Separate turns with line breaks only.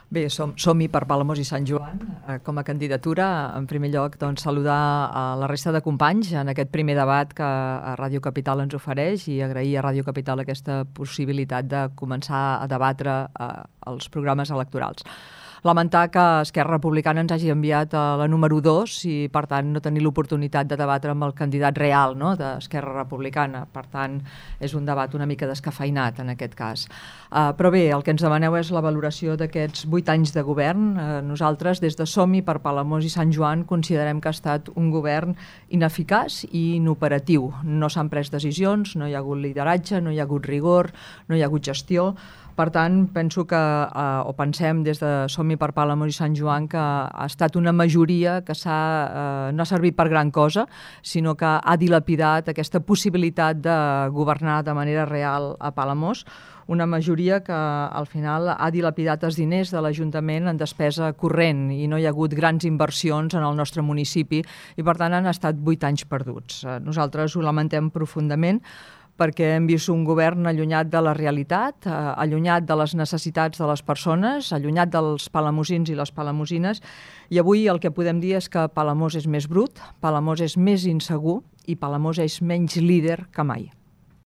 Bé, som-hi per Palamós i Sant Joan com a candidatura. En primer lloc, doncs, saludar a la resta de companys en aquest primer debat que Ràdio Capital ens ofereix i agrair a Ràdio Capital aquesta possibilitat de començar a debatre els programes electorals. Lamentar que Esquerra Republicana ens hagi enviat a la número 2 i, per tant, no tenir l'oportunitat de debatre amb el candidat real, no?, d'Esquerra Republicana. Per tant, és un debat una mica descafeinat, en aquest cas. Però bé, el que ens demaneu és la valoració d'aquests 8 anys de govern. Nosaltres, des de Som-hi per Palamós i Sant Joan, considerem que ha estat un govern ineficaç i inoperatiu. No s'han pres decisions, no hi ha hagut lideratge, no hi ha hagut rigor, no hi ha hagut gestió. Per tant, penso que, o pensem des de Som-hi per Palamós i Sant Joan, que ha estat una majoria que no ha servit per gran cosa, sinó que ha dilapidat aquesta possibilitat de governar de manera real a Palamós, una majoria que al final ha dilapidat els diners de l'Ajuntament en despesa corrent i no hi ha hagut grans inversions en el nostre municipi i, per tant, han estat 8 anys perduts. Nosaltres ho lamentem profundament, perquè hem vist un govern allunyat de la realitat, allunyat de les necessitats de les persones, allunyat dels palamosins i les palamosines, i avui el que podem dir és que Palamós és més brut, Palamós és més insegur i Palamós és menys líder que mai.